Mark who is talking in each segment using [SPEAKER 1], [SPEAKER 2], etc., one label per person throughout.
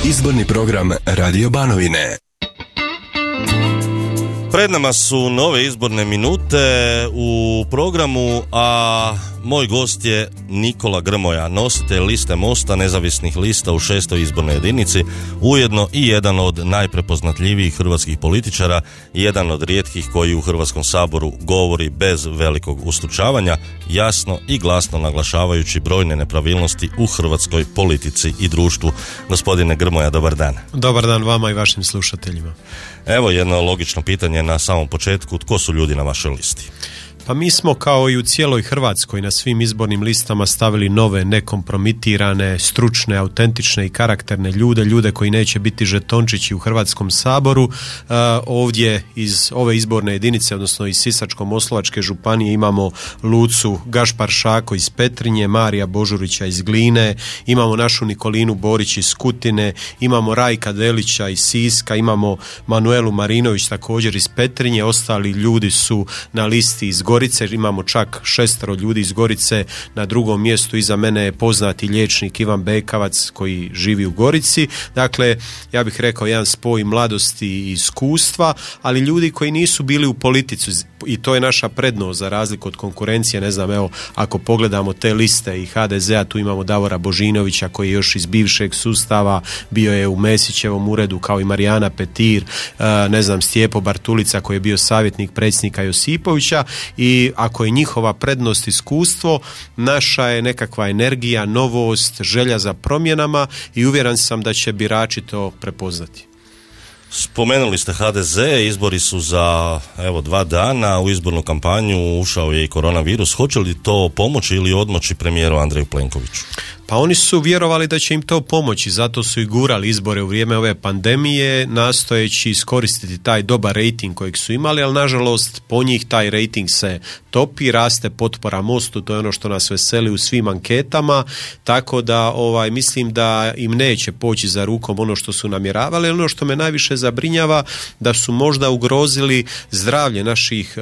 [SPEAKER 1] Izborni program Radio Banovine.
[SPEAKER 2] Pred nama su nove izborne minute u programu, a moj gost je Nikola Grmoja, nositelj liste Mosta nezavisnih lista u 6. izbornoj jedinici, ujedno i jedan od najprepoznatljivijih hrvatskih političara i jedan od rijetkih koji u Hrvatskom saboru govori bez velikog ustručavanja, jasno i glasno naglašavajući brojne nepravilnosti u hrvatskoj politici i društvu. Gospodine Grmoja, dobar dan.
[SPEAKER 3] Dobar dan vama i vašim slušateljima.
[SPEAKER 2] Evo jedno logično pitanje na samom početku, tko su ljudi na vašoj listi?
[SPEAKER 3] Pa mi smo kao i u cijeloj Hrvatskoj na svim izbornim listama stavili nove, nekompromitirane, stručne, autentične i karakterne ljude koji neće biti žetončići u Hrvatskom saboru. Ovdje iz ove izborne jedinice, odnosno iz Sisačko-moslavačke županije imamo Lucu Gašpar-Šako iz Petrinje, Marija Božurića iz Gline, imamo našu Nikolinu Borić iz Kutine, imamo Rajka Delića iz Siska, imamo Manuelu Marinović također iz Petrinje, ostali ljudi su na listi iz Gorice, imamo čak 6 ljudi iz Gorice, na drugom mjestu iza mene je poznati liječnik Ivan Bekavac koji živi u Gorici. Dakle, ja bih rekao jedan spoj mladosti i iskustva, ali ljudi koji nisu bili u politici, i to je naša prednost za razliku od konkurencije. Ne znam, evo, ako pogledamo te liste i HDZ-a, tu imamo Davora Božinovića koji je još iz bivšeg sustava, bio je u Mesićevom uredu, kao i Marijana Petir, ne znam, Stjepo Bartulica koji je bio savjetnik predsjednika Josipovića. I ako je njihova prednost iskustvo, naša je nekakva energija, novost, želja za promjenama i uvjeren sam da će birači to prepoznati.
[SPEAKER 2] Spomenuli ste HDZ, izbori su za 2 dana, u izbornu kampanju ušao je i koronavirus. Hoće li to pomoći ili odmoći premijeru Andreju Plenkoviću?
[SPEAKER 3] Pa oni su vjerovali da će im to pomoći, zato su i gurali izbore u vrijeme ove pandemije, nastojeći iskoristiti taj dobar rejting kojeg su imali, ali nažalost po njih taj rejting se topi, raste potpora Mostu, to je ono što nas veseli u svim anketama, tako da mislim da im neće poći za rukom ono što su namjeravali, ali ono što me najviše zabrinjava da su možda ugrozili zdravlje naših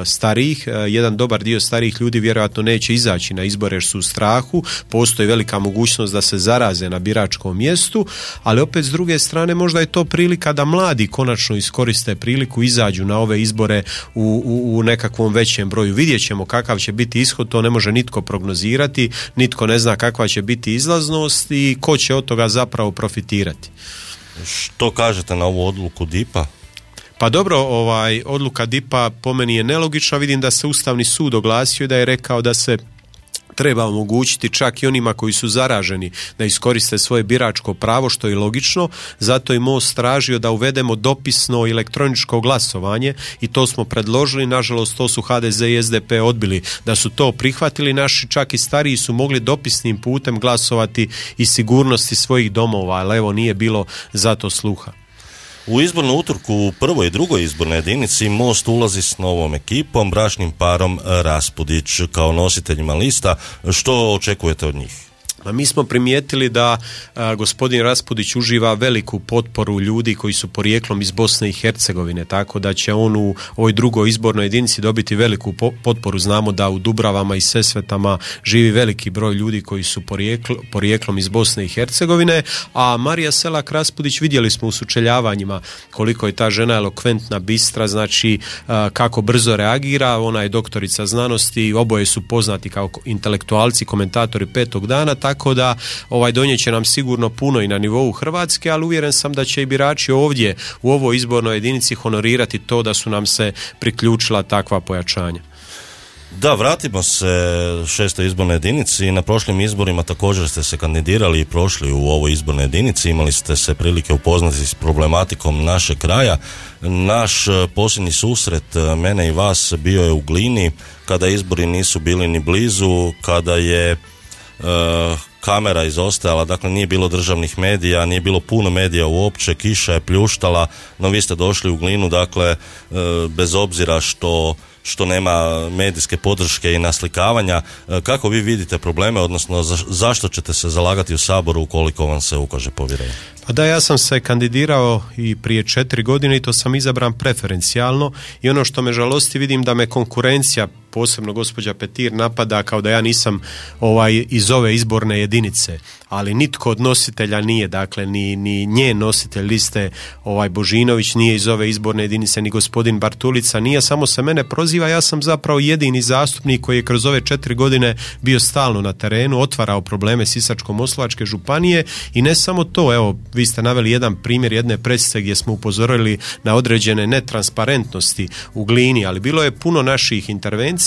[SPEAKER 3] starijih. Jedan dobar dio starijih ljudi vjerojatno neće izaći na izbore jer su u strahu, postoji velika mogućnost da se zaraze na biračkom mjestu, ali opet s druge strane možda je to prilika da mladi konačno iskoriste priliku, izađu na ove izbore u nekakvom većem broju. Vidjet ćemo kakav će biti ishod, to ne može nitko prognozirati, nitko ne zna kakva će biti izlaznost i ko će od toga zapravo profitirati.
[SPEAKER 2] Što kažete na ovu odluku DIP-a?
[SPEAKER 3] Pa dobro, odluka DIP-a po meni je nelogična. Vidim da se Ustavni sud oglasio i da je rekao da se treba omogućiti čak i onima koji su zaraženi da iskoriste svoje biračko pravo, što je logično. Zato je Most tražio da uvedemo dopisno elektroničko glasovanje i to smo predložili. Nažalost, to su HDZ i SDP odbili. Da su to prihvatili, naši čak i stariji su mogli dopisnim putem glasovati iz sigurnosti svojih domova, ali evo nije bilo za to sluha.
[SPEAKER 2] U izbornu utrku u prvoj i drugoj izbornoj jedinici Most ulazi s novom ekipom, bračnim parom Raspudić kao nositeljima lista. Što očekujete od njih?
[SPEAKER 3] Mi smo primijetili da gospodin Raspudić uživa veliku potporu ljudi koji su porijeklom iz Bosne i Hercegovine, tako da će on u ovoj drugoj izbornoj jedinici dobiti veliku potporu. Znamo da u Dubravama i Sesvetama živi veliki broj ljudi koji su porijeklom iz Bosne i Hercegovine, a Marija Selak Raspudić, vidjeli smo u sučeljavanjima koliko je ta žena elokventna, bistra, znači kako brzo reagira. Ona je doktorica znanosti, oboje su poznati kao intelektualci, komentatori Petog dana, tako da donijet će nam sigurno puno i na nivou Hrvatske, ali uvjeren sam da će i birači ovdje u ovoj izbornoj jedinici honorirati to da su nam se priključila takva pojačanja.
[SPEAKER 2] Da, vratimo se 6. izbornoj jedinici. Na prošlim izborima također ste se kandidirali i prošli u ovoj izbornoj jedinici. Imali ste se prilike upoznati s problematikom našeg kraja. Naš posljednji susret mene i vas bio je u Glini, kada izbori nisu bili ni blizu, kada je kamera izostajala, dakle nije bilo državnih medija, nije bilo puno medija uopće, kiša je pljuštala, no vi ste došli u Glinu, dakle bez obzira što nema medijske podrške i naslikavanja. Kako vi vidite probleme, odnosno zašto ćete se zalagati u Saboru ukoliko vam se ukaže povjerenje?
[SPEAKER 3] Pa da, ja sam se kandidirao i prije 4 godine i to sam izabran preferencijalno i ono što me žalosti, vidim da me konkurencija posebno gospođa Petir napada kao da ja nisam iz ove izborne jedinice, ali nitko od nositelja nije, dakle ni njen nositelj liste Božinović nije iz ove izborne jedinice, ni gospodin Bartulica nije, samo se mene proziva, ja sam zapravo jedini zastupnik koji je kroz ove 4 godine bio stalno na terenu, otvarao probleme Sisačko-moslavačke županije i ne samo to, evo vi ste naveli jedan primjer jedne presice gdje smo upozorili na određene netransparentnosti u Glini, ali bilo je puno naših intervencija.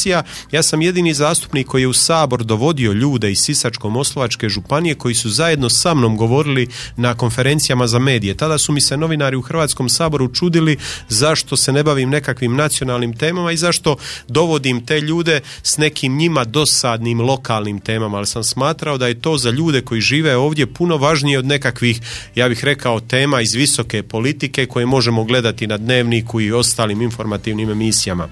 [SPEAKER 3] Ja sam jedini zastupnik koji je u Sabor dovodio ljude iz Sisačko-moslavačke županije koji su zajedno sa mnom govorili na konferencijama za medije. Tada su mi se novinari u Hrvatskom saboru čudili zašto se ne bavim nekakvim nacionalnim temama i zašto dovodim te ljude s nekim njima dosadnim lokalnim temama, ali sam smatrao da je to za ljude koji žive ovdje puno važnije od nekakvih, ja bih rekao, tema iz visoke politike koje možemo gledati na Dnevniku i ostalim informativnim emisijama.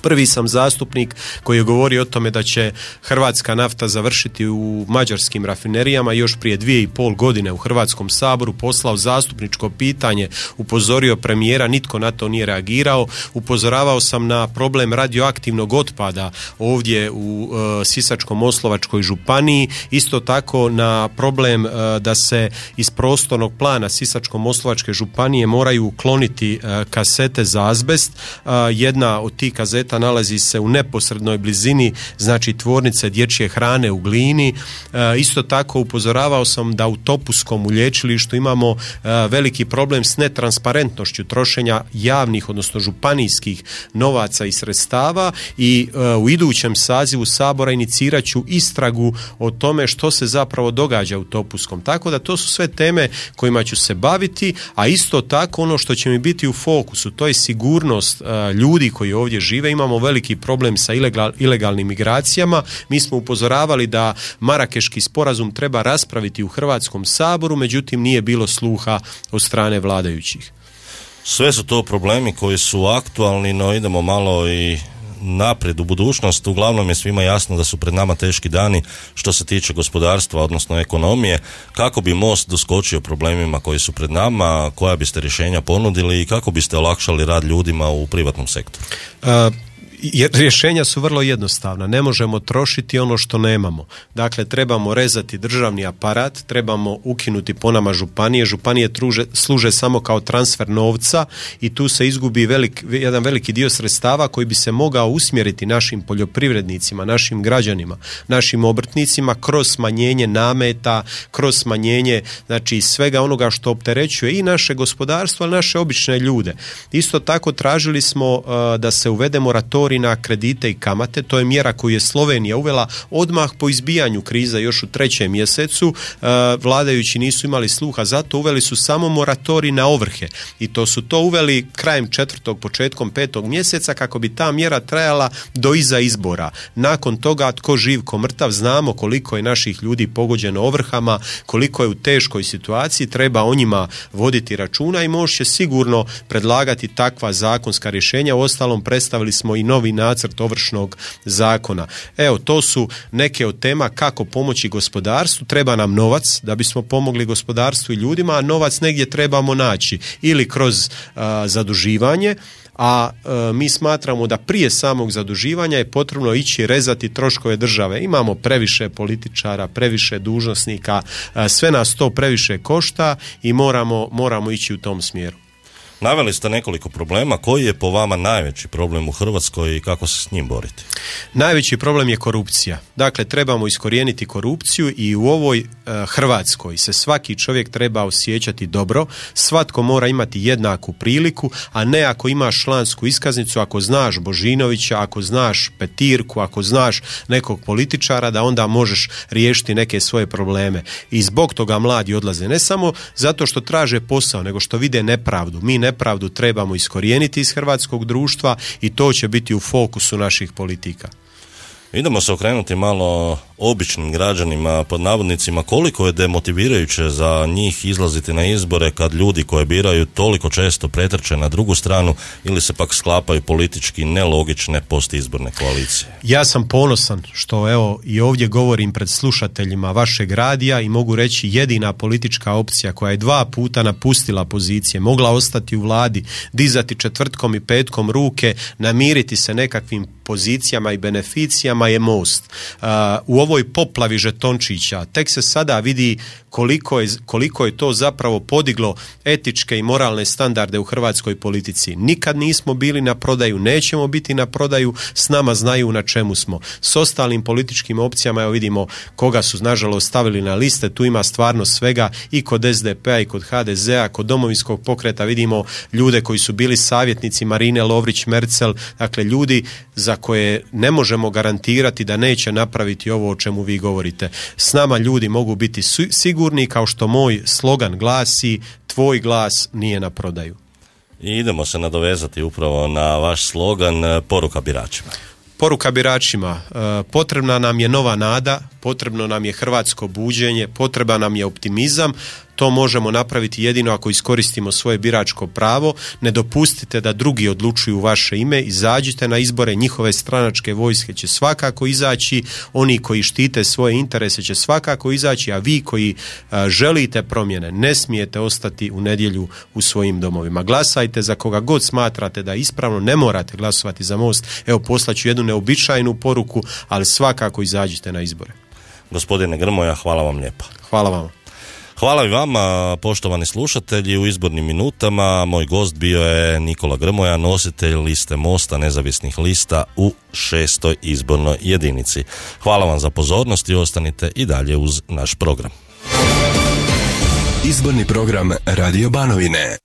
[SPEAKER 3] Prvi sam zastupnik koji je govorio o tome da će hrvatska nafta završiti u mađarskim rafinerijama. Još prije 2,5 godine u Hrvatskom saboru poslao zastupničko pitanje, upozorio premijera, nitko na to nije reagirao. Upozoravao sam na problem radioaktivnog otpada ovdje u Sisačko-moslavačkoj županiji, isto tako na problem da se iz prostornog plana Sisačko-moslavačke županije moraju ukloniti kasete za azbest. Jedna od tih kazeta nalazi se u neposrednoj blizini, znači tvornice dječje hrane u Glini. Isto tako upozoravao sam da u Topuskom u lječilištu imamo veliki problem s netransparentnošću trošenja javnih, odnosno županijskih novaca i sredstava i u idućem sazivu Sabora inicirat ću istragu o tome što se zapravo događa u Topuskom. Tako da to su sve teme kojima ću se baviti, a isto tako ono što će mi biti u fokusu, to je sigurnost ljudi koji ovdje žive. Imamo veliki problem sa ilegalnim migracijama. Mi smo upozoravali da Marakeški sporazum treba raspraviti u Hrvatskom saboru, međutim nije bilo sluha od strane vladajućih.
[SPEAKER 2] Sve su to problemi koji su aktualni, no idemo malo i naprijed u budućnost. Uglavnom je svima jasno da su pred nama teški dani što se tiče gospodarstva, odnosno ekonomije. Kako bi Most doskočio problemima koji su pred nama, koja biste rješenja ponudili i kako biste olakšali rad ljudima u privatnom sektoru?
[SPEAKER 3] Rješenja su vrlo jednostavna. Ne možemo trošiti ono što nemamo. Dakle, trebamo rezati državni aparat, trebamo ukinuti po nama županije. Županije služe samo kao transfer novca i tu se izgubi jedan veliki dio sredstava koji bi se mogao usmjeriti našim poljoprivrednicima, našim građanima, našim obrtnicima kroz smanjenje nameta, kroz smanjenje svega onoga što opterećuje i naše gospodarstvo, ali naše obične ljude. Isto tako tražili smo da se uvede moratorij na kredite i kamate. To je mjera koju je Slovenija uvela odmah po izbijanju krize još u 3. mjesecu. Vladajući nisu imali sluha, zato uveli su samo moratorij na ovrhe i to su to uveli krajem 4. početkom 5. mjeseca kako bi ta mjera trajala do iza izbora. Nakon toga tko živ ko mrtav, znamo koliko je naših ljudi pogođeno ovrhama, koliko je u teškoj situaciji, treba o njima voditi računa i Most će sigurno predlagati takva zakonska rješenja. Uostalom predstavili smo i novi nacrt Ovršnog zakona. Evo, to su neke od tema kako pomoći gospodarstvu. Treba nam novac da bismo pomogli gospodarstvu i ljudima, a novac negdje trebamo naći ili kroz zaduživanje, a mi smatramo da prije samog zaduživanja je potrebno ići rezati troškove države. Imamo previše političara, previše dužnosnika, sve nas to previše košta i moramo ići u tom smjeru.
[SPEAKER 2] Naveli ste nekoliko problema. Koji je po vama najveći problem u Hrvatskoj i kako se s njim boriti?
[SPEAKER 3] Najveći problem je korupcija. Dakle, trebamo iskorijeniti korupciju i u ovoj Hrvatskoj se svaki čovjek treba osjećati dobro. Svatko mora imati jednaku priliku, a ne ako imaš člansku iskaznicu, ako znaš Božinovića, ako znaš Petirku, ako znaš nekog političara, da onda možeš riješiti neke svoje probleme. I zbog toga mladi odlaze. Ne samo zato što traže posao, nego što vide nepravdu. Mi nepravdu trebamo iskorijeniti iz hrvatskog društva i to će biti u fokusu naših politika.
[SPEAKER 2] Idemo se okrenuti malo običnim građanima, pod navodnicima, koliko je demotivirajuće za njih izlaziti na izbore kad ljudi koje biraju toliko često pretrče na drugu stranu ili se pak sklapaju politički nelogične postizborne koalicije?
[SPEAKER 3] Ja sam ponosan što evo i ovdje govorim pred slušateljima vašeg radija i mogu reći jedina politička opcija koja je 2 puta napustila pozicije, mogla ostati u vladi, dizati četvrtkom i petkom ruke, namiriti se nekakvim pozicijama i beneficijama je Most. U ovoj poplavi žetončića tek se sada vidi koliko je to zapravo podiglo etičke i moralne standarde u hrvatskoj politici. Nikad nismo bili na prodaju, nećemo biti na prodaju, s nama znaju na čemu smo. S ostalim političkim opcijama evo vidimo koga su nažalost stavili na liste, tu ima stvarno svega i kod SDP-a i kod HDZ-a, kod Domovinskog pokreta vidimo ljude koji su bili savjetnici Marine Lovrić-Merzel, dakle ljudi za koje ne možemo garantirati da neće napraviti ovo o čemu vi govorite. S nama ljudi mogu biti sigurni, kao što moj slogan glasi, tvoj glas nije na prodaju.
[SPEAKER 2] I idemo se nadovezati upravo na vaš slogan, poruka biračima.
[SPEAKER 3] Poruka biračima, potrebna nam je nova nada, potrebno nam je hrvatsko buđenje, potreban nam je optimizam. To možemo napraviti jedino ako iskoristimo svoje biračko pravo. Ne dopustite da drugi odlučuju u vaše ime, izađite na izbore, njihove stranačke vojske će svakako izaći, oni koji štite svoje interese će svakako izaći, a vi koji želite promjene ne smijete ostati u nedjelju u svojim domovima. Glasajte za koga god smatrate da je ispravno, ne morate glasovati za Most. Evo, poslaću jednu neobičajnu poruku, ali svakako izađite na izbore.
[SPEAKER 2] Gospodine Grmoja, hvala vam lijepa.
[SPEAKER 3] Hvala vam.
[SPEAKER 2] Hvala i vama, poštovani slušatelji. U izbornim minutama moj gost bio je Nikola Grmoja, nositelj liste Mosta nezavisnih lista u 6. izbornoj jedinici. Hvala vam za pozornost i ostanite i dalje uz naš program.
[SPEAKER 1] Izborni program Radio Banovine.